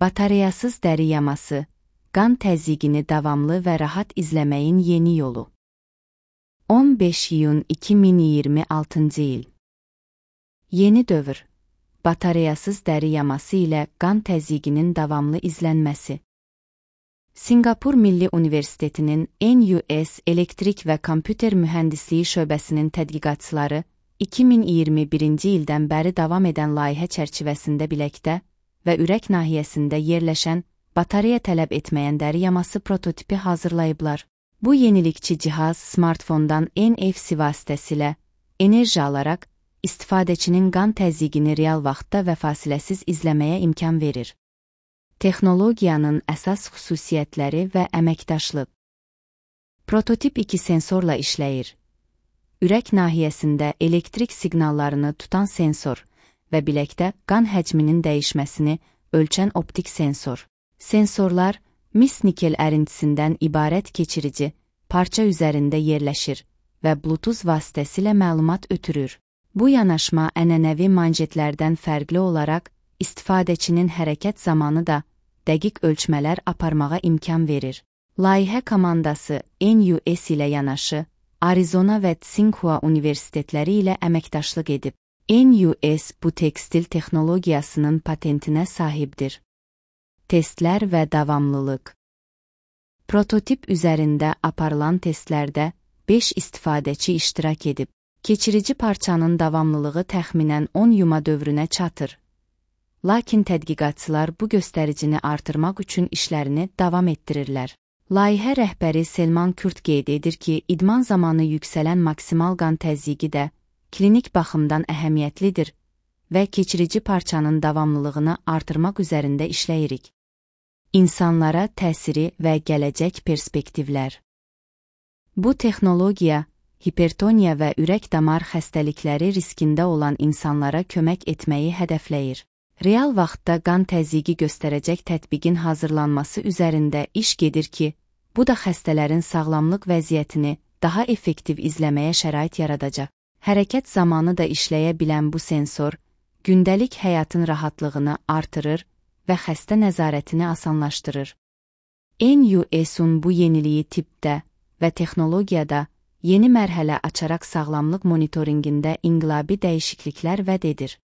Batareyasız dəri yaması, qan təzyiqini davamlı və rahat izləməyin yeni yolu. 15 iyun 2026 il. Yeni dövr. Batareyasız dəri yaması ilə qan təzyiqinin davamlı izlənməsi. Sinqapur Milli Universitetinin NUS Elektrik və Kompüter Mühəndisliyi şöbəsinin tədqiqatçıları 2021-ci ildən bəri davam edən layihə çərçivəsində biləkdə və ürək nahiyəsində yerləşən batareya tələb etməyən dəri yaması prototipi hazırlayıblar. Bu yenilikçi cihaz smartfondan NFC vasitəsilə enerji alaraq istifadəçinin qan təzyiqini real vaxtda və fasiləsiz izləməyə imkan verir. Texnologiyanın əsas xüsusiyyətləri və əməkdaşlıq. Prototip 2 sensorla işləyir. Ürək nahiyəsində elektrik siqnallarını tutan sensor və biləkdə qan həcminin dəyişməsini ölçən optik sensor. Sensorlar mis-nikel ərintisindən ibarət keçirici parça üzərində yerləşir və Bluetooth vasitəsilə məlumat ötürür. Bu yanaşma ənənəvi manjetlərdən fərqli olaraq istifadəçinin hərəkət zamanı da dəqiq ölçmələr aparmağa imkan verir. Layihə komandası NUS ilə yanaşı Arizona və Tsinghua universitetləri ilə əməkdaşlıq edib. NUS bu tekstil texnologiyasının patentinə sahibdir. Testlər və davamlılıq. Prototip üzərində aparılan testlərdə 5 istifadəçi iştirak edib. Keçirici parçanın davamlılığı təxminən 10 yuma dövrünə çatır. Lakin tədqiqatçılar bu göstəricini artırmaq üçün işlərini davam etdirirlər. Layihə rəhbəri Selman Kürt qeyd edir ki, idman zamanı yüksələn maksimal qan təzyiqi də klinik baxımdan əhəmiyyətlidir və keçirici parçanın davamlılığını artırmaq üzərində işləyirik. İnsanlara təsiri və gələcək perspektivlər. Bu texnologiya, hipertoniya və ürək-damar xəstəlikləri riskində olan insanlara kömək etməyi hədəfləyir. Real vaxtda qan təzyiqi göstərəcək tətbiqin hazırlanması üzərində iş gedir ki, bu da xəstələrin sağlamlıq vəziyyətini daha effektiv izləməyə şərait yaradacaq. Hərəkət zamanı da işləyə bilən bu sensor, gündəlik həyatın rahatlığını artırır və xəstə nəzarətini asanlaşdırır. NUS-un bu yeniliyi tibbdə və texnologiyada yeni mərhələ açaraq sağlamlıq monitorinqində inqilabi dəyişikliklər vəd edir.